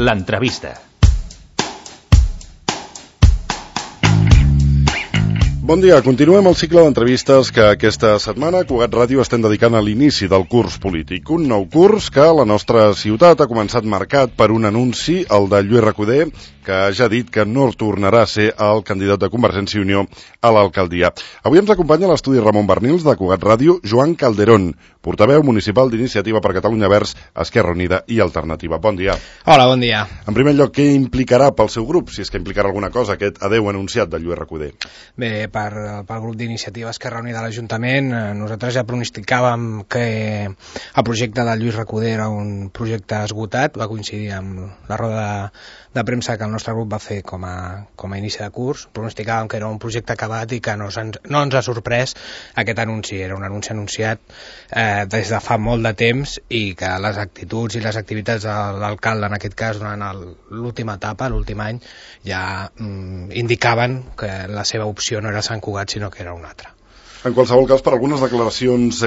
L'entrevista. Bon dia, continuem el cicle d'entrevistes que aquesta setmana Cugat Ràdio estem dedicant a l'inici del curs polític. Un nou curs que a la nostra ciutat ha començat marcat per un anunci, el de Lluís Recoder, que ja ha dit que no tornarà a ser el candidat de Convergència i Unió a l'alcaldia. Avui ens acompanya a l'estudi Ramon Bernils de Cugat Ràdio, Joan Calderón, portaveu municipal d'Iniciativa per Catalunya Verds, Esquerra Unida i Alternativa. Bon dia. Hola, bon dia. En primer lloc, què implicarà pel seu grup, si és que implicarà alguna cosa, aquest adeu anunciat de Lluís Recoder? Bé, pel grup d'Iniciativa Esquerra Unida de l'Ajuntament, nosaltres ja pronosticàvem que el projecte de Lluís Recoder era un projecte esgotat, va coincidir amb la roda de premsa que el nostre grup va fer com a inici de curs. Pronosticàvem que era un projecte acabat i que no ens ha sorprès aquest anunci. Era un anunci anunciat des de fa molt de temps i que les actituds i les activitats de l'alcalde, en aquest cas durant l'última etapa, l'últim any, ja indicaven que la seva opció no era Sant Cugat sinó que era una altra. En qualsevol cas, per algunes declaracions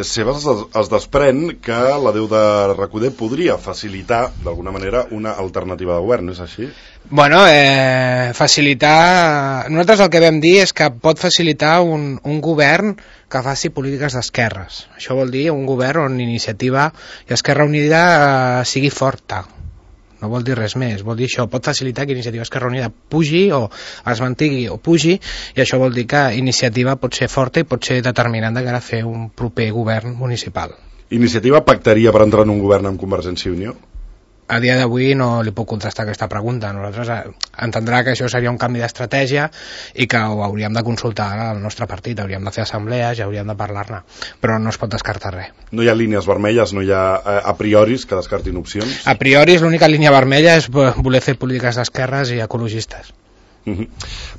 seves es desprèn que l'adeu de Recoder podria facilitar, d'alguna manera, una alternativa de govern, és així? Bueno, facilitar... Nosaltres el que vam dir és que pot facilitar un govern que faci polítiques d'esquerres. Això vol dir un govern on Iniciativa i Esquerra Unida sigui forta. No vol dir res més, vol dir això, pot facilitar que Iniciativa Esquerra Unida pugi o es mantingui o pugi, i això vol dir que Iniciativa pot ser forta i pot ser determinant de cara a fer un proper govern municipal. Iniciativa pactaria per entrar en un govern amb Convergència i Unió? A dia d'avui no li puc contestar aquesta pregunta. Nosaltres entendrà que això seria un canvi d'estratègia i que ho hauríem de consultar al nostre partit, hauríem de fer assemblees i hauríem de parlar-ne, però no es pot descartar res. No hi ha línies vermelles, no hi ha a prioris que descartin opcions? A priori l'única línia vermella és voler fer polítiques d'esquerres i ecologistes.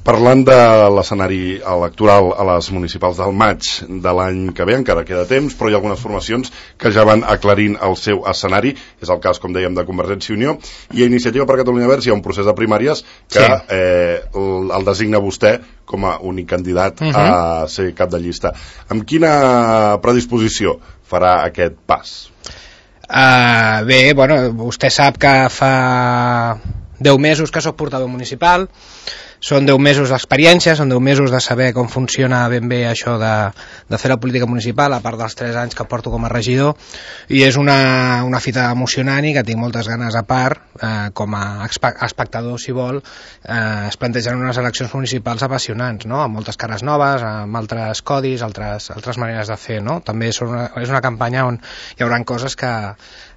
Parlant de l'escenari electoral a les municipals del maig de l'any que ve, encara queda temps, però hi ha algunes formacions que ja van aclarint el seu escenari. És el cas, com dèiem, de Convergència i Unió, i a Iniciativa per Catalunya Verds hi ha un procés de primàries que el designa vostè com a únic candidat a ser cap de llista. Amb quina predisposició farà aquest pas? Bé, bueno, vostè sap que fa 10 mesos que soc portaveu municipal, són 10 mesos d'experiència, són 10 mesos de saber com funciona ben bé això de fer la política municipal, a part dels 3 anys que porto com a regidor, i és una fita emocionant i que tinc moltes ganes, a part, com a espectador, si vol, es plantegen unes eleccions municipals apassionants, no? Amb moltes cares noves, amb altres codis, altres maneres de fer, no? També és una campanya on hi haurà coses que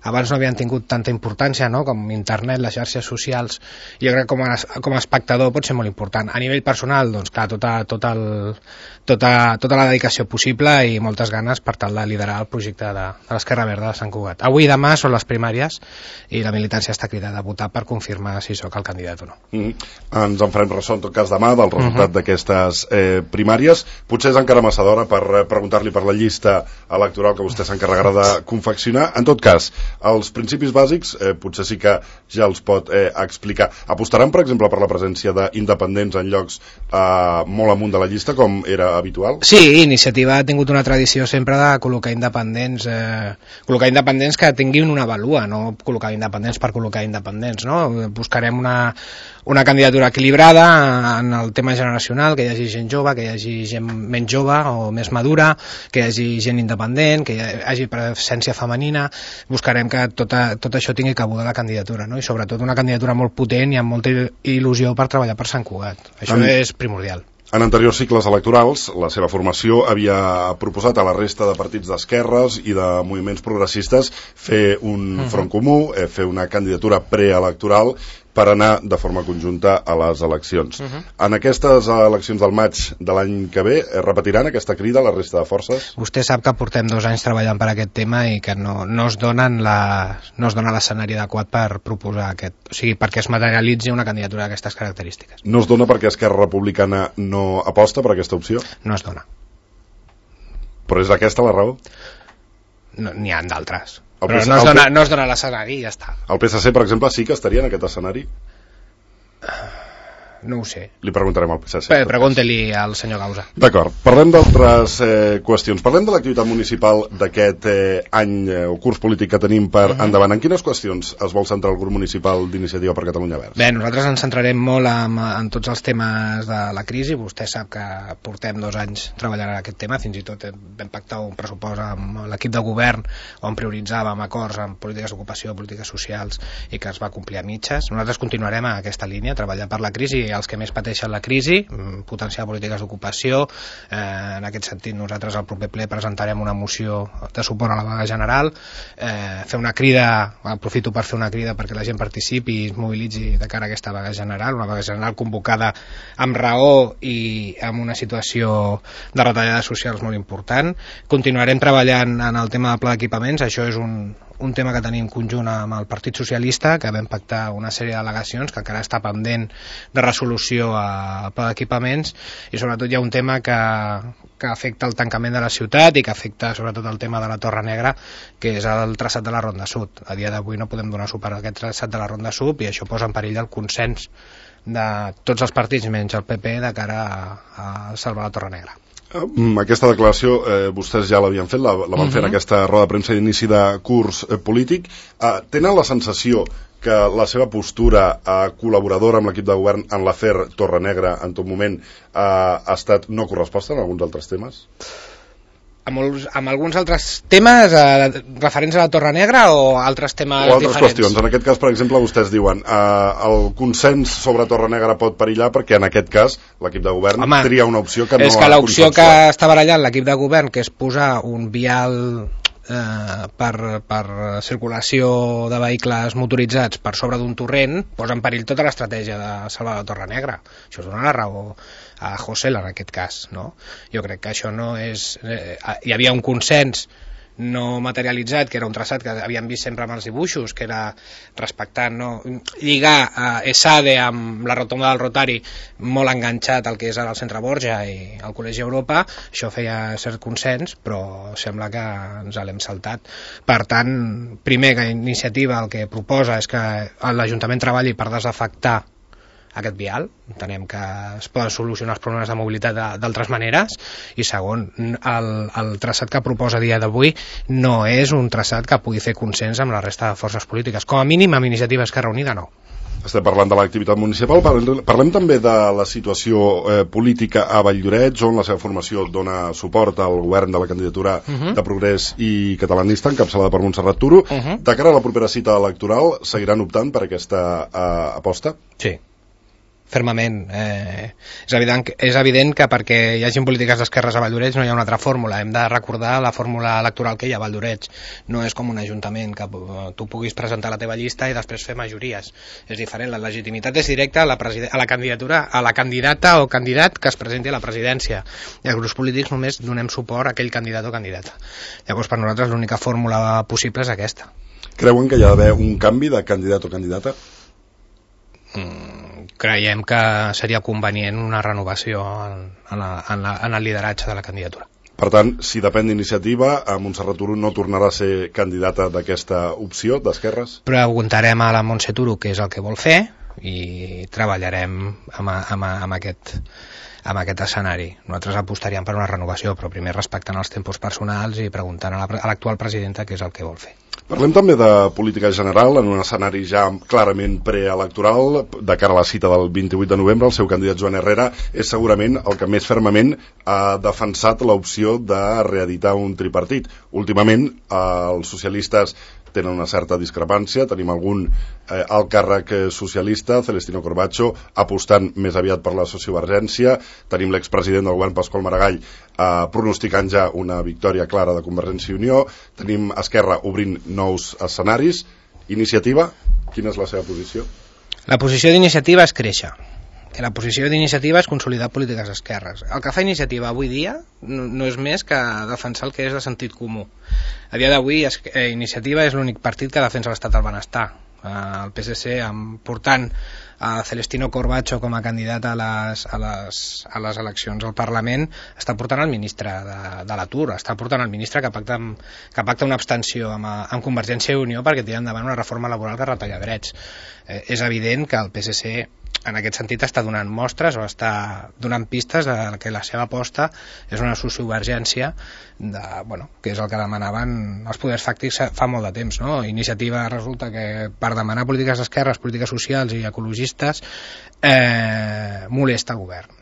abans no havien tingut tanta importància, no? Com internet, les xarxes socials. Jo crec que com a espectador pot ser molt important. A nivell personal, doncs clar, tota la dedicació possible i moltes ganes per tal de liderar el projecte de l'Esquerra Verda de Sant Cugat. Avui i demà són les primàries i la militància està cridada a votar per confirmar si sóc el candidat o no. Ens en farem ressò en tot cas demà del resultat d'aquestes primàries. Potser és encara massa d'hora per preguntar-li per la llista electoral que vostè s'encarregarà de confeccionar. En tot cas, els principis bàsics potser sí que ja els pot explicar. Apostaran, per exemple, per la presència d'independents en llocs molt amunt de la llista, com era habitual? Sí, Iniciativa ha tingut una tradició sempre de col·locar independents que tinguin una vàlua, no col·locar independents per col·locar independents, no? Buscarem una candidatura equilibrada en el tema generacional, que hi hagi gent jove, que hi hagi gent menys jove o més madura, que hi hagi gent independent, que hi hagi presència femenina. Buscarem que tot això tingui cabuda a la candidatura, no? I sobretot una candidatura molt potent i amb molta il·lusió per treballar per Sant Cugat. Això és primordial. En anteriors cicles electorals, la seva formació havia proposat a la resta de partits d'esquerres i de moviments progressistes fer un front comú, fer una candidatura preelectoral per anar de forma conjunta a les eleccions. En aquestes eleccions del maig de l'any que ve, repetiran aquesta crida a la resta de forces? Vostè sap que portem 2 anys treballant per aquest tema i que no es dona l'escenari adequat per proposar o sigui, perquè es materialitzi una candidatura d'aquestes característiques. No es dona perquè Esquerra Republicana no aposta per aquesta opció? No es dona. Però és aquesta la raó? N'hi ha d'altres. Però no es dona l'escenari i ja està. El PSC, per exemple, sí que estaria en aquest escenari? no ho sé. Li preguntarem al PSC. Pregunti-li al senyor Gausa. D'acord, parlem d'altres qüestions. Parlem de l'activitat municipal d'aquest any o curs polític que tenim per endavant. En quines qüestions es vol centrar el grup municipal d'Iniciativa per Catalunya Verds? Bé, nosaltres ens centrarem molt en tots els temes de la crisi. Vostè sap que portem 2 anys treballant en aquest tema, fins i tot vam pactar un pressupost amb l'equip de govern on prioritzàvem acords en polítiques d'ocupació, polítiques socials, i que es va complir a mitges. Nosaltres continuarem a aquesta línia, treballar per la crisi, els que més pateixen la crisi, potenciar polítiques d'ocupació. En aquest sentit, nosaltres al proper ple presentarem una moció de suport a la vaga general, fer una crida, aprofito per fer una crida perquè la gent participi i es mobilitzi de cara a aquesta vaga general, una vaga general convocada amb raó i amb una situació de retallades socials molt important. Continuarem treballant en el tema del pla d'equipaments, això és un tema que tenim conjunt amb el Partit Socialista, que vam pactar una sèrie d'al·legacions que encara està pendent de resolució al pla d'equipaments, i sobretot hi ha un tema que afecta el tancament de la ciutat i que afecta sobretot el tema de la Torre Negra, que és el traçat de la Ronda Sud. A dia d'avui no podem donar suport a aquest traçat de la Ronda Sud i això posa en perill el consens de tots els partits menys el PP de cara a salvar la Torre Negra. Aquesta declaració vostès ja l'havien fet, la van fer en aquesta roda de premsa d'inici de curs polític. Tenen la sensació que la seva postura col·laboradora amb l'equip de govern en l'afer Torre Negra en tot moment ha estat no corresposta en alguns altres temes? Amb alguns altres temes referents a la Torre Negra o altres temes diferents? O altres qüestions. En aquest cas, per exemple, vostès diuen el consens sobre Torre Negra pot perillar perquè en aquest cas l'equip de govern tria una opció que no ha consensuat. És que l'opció que està barallant l'equip de govern, que és posar un vial per circulació de vehicles motoritzats per sobre d'un torrent, posa en perill tota l'estratègia de salvar la Torre Negra. Això es dona la raó a José en aquest cas, no? Jo crec que això no és... hi havia un consens no materialitzat, que era un traçat que havíem vist sempre amb els dibuixos, que era respectant, no? Lligar ESADE amb la rotonda del Rotari molt enganxat al que és ara el Centre Borja i el Col·legi Europa. Això feia cert consens, però sembla que ens l'hem saltat. Per tant, primer, que Iniciativa el que proposa és que l'Ajuntament treballi per desafectar aquest vial, entenem que es poden solucionar els problemes de mobilitat d'altres maneres, i segon, el traçat que proposa a dia d'avui no és un traçat que pugui fer consens amb la resta de forces polítiques, com a mínim amb Iniciativa Esquerra Unida no. Estem parlant de l'activitat municipal, parlem també de la situació política a Valldoreix, on la seva formació dona suport al govern de la candidatura de Progrés i Catalanista, encapçalada per Montserrat Turo. De cara a la propera cita electoral, seguiran optant per aquesta aposta? Sí, fermament. És evident que perquè hi hagi polítiques d'esquerres a Valldoreix no hi ha una altra fórmula. Hem de recordar la fórmula electoral que hi ha a Valldoreix. No és com un ajuntament que tu puguis presentar la teva llista i després fer majories. És diferent. La legitimitat és directa a la candidatura, a la candidata o candidat que es presenti a la presidència. I els grups polítics només donem suport a aquell candidat o candidata. Llavors, per nosaltres, l'única fórmula possible és aquesta. Creuen que hi ha d'haver un canvi de candidat o candidata? Creiem que seria convenient una renovació en el lideratge de la candidatura. Per tant, si depèn d'Iniciativa, Montserrat Turo no tornarà a ser candidata d'aquesta opció d'esquerres? Preguntarem a la Montse Turo què és el que vol fer i treballarem amb aquest escenari. Nosaltres apostaríem per una renovació, però primer respectant els tempos personals i preguntant a l'actual presidenta què és el que vol fer. Parlem també de política general en un escenari ja clarament preelectoral. De cara a la cita del 28 de novembre, el seu candidat Joan Herrera és segurament el que més fermament ha defensat l'opció de reeditar un tripartit. Últimament, els socialistes tenen una certa discrepància. Tenim algun alt càrrec socialista, Celestino Corbacho, apostant més aviat per la sociovergència. Tenim l'expresident del govern, Pasqual Maragall, pronosticant ja una victòria clara de Convergència i Unió. Tenim Esquerra obrint nous escenaris. Iniciativa, quina és la seva posició? La posició d'Iniciativa és créixer. La posició d'Iniciativa és consolidar polítiques d'esquerres. El que fa Iniciativa avui dia no és més que defensar el que és de sentit comú. A dia d'avui Iniciativa és l'únic partit que defensa l'estat del benestar. El PSC portant a Celestino Corbacho com a candidat a les eleccions al Parlament està portant el ministre de l'Atur, està portant el ministre que pacta una abstenció amb Convergència i Unió perquè tira endavant una reforma laboral que retalla drets. És evident que el PSC en aquest sentit està donant mostres o està donant pistes de que la seva aposta és una sociovergència que és el que demanaven els poders fàctics fa molt de temps, no? Iniciativa resulta que per demanar polítiques d'esquerres, polítiques socials i ecologistes molesta el govern.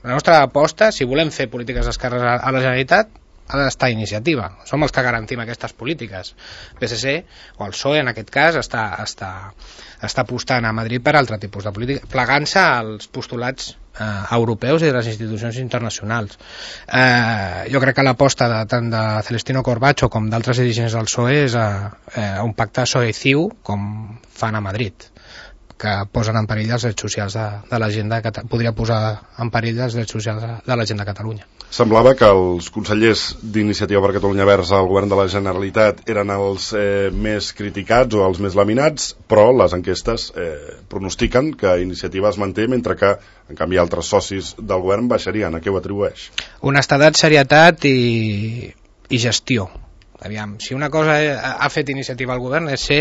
La nostra aposta, si volem fer polítiques d'esquerres a la Generalitat, ha d'estar Iniciativa. Som els que garantim aquestes polítiques. PSC, o el PSOE en aquest cas, està apostant a Madrid per altre tipus de política, plegant-se als postulats europeus i de les institucions internacionals. Jo crec que l'aposta tant de Celestino Corbacho com d'altres dirigents del PSOE és un pacte PSOE-CiU com fan a Madrid, que posen en perill els drets socials de la gent podria posar en perill els drets socials de la gent de Catalunya. Semblava que els consellers d'Iniciativa per Catalunya Verds al govern de la Generalitat eren els més criticats o els més laminats, però les enquestes pronostiquen que Iniciativa es manté, mentre que, en canvi, altres socis del govern baixarien. A què ho atribueix? Honestedat, serietat i gestió. Aviam, si una cosa ha fet Iniciativa al govern és ser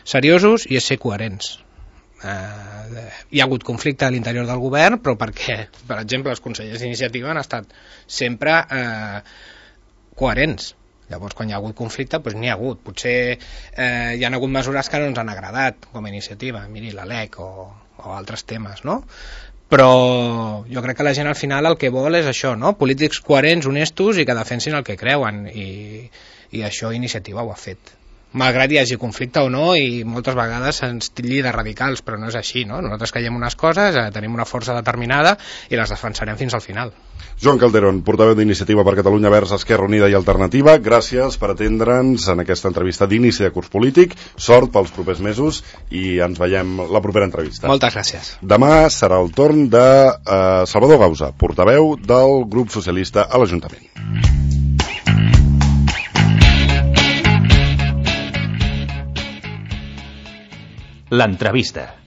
seriosos i és ser coherents. Hi ha hagut conflicte a l'interior del govern, però perquè, per exemple, els consellers d'Iniciativa han estat sempre coherents. Llavors, quan hi ha hagut conflicte, doncs n'hi ha hagut. Potser hi ha hagut mesures que no ens han agradat com a Iniciativa, miri la LEC o altres temes, no? Però jo crec que la gent al final el que vol és això, no? Polítics coherents, honestos i que defensin el que creuen, i això Iniciativa ho ha fet. Malgrat hi hagi conflicte o no, i moltes vegades se'ns tilli de radicals, però no és així, no? Nosaltres creiem unes coses, tenim una força determinada i les defensarem fins al final. Joan Calderón, portaveu d'Iniciativa per Catalunya Verds, Esquerra Unida i Alternativa, gràcies per atendre'ns en aquesta entrevista d'inici de curs polític. Sort pels propers mesos i ens veiem la propera entrevista. Moltes gràcies. Demà serà el torn de Salvador Gausa, portaveu del grup socialista a l'Ajuntament. L'entrevista.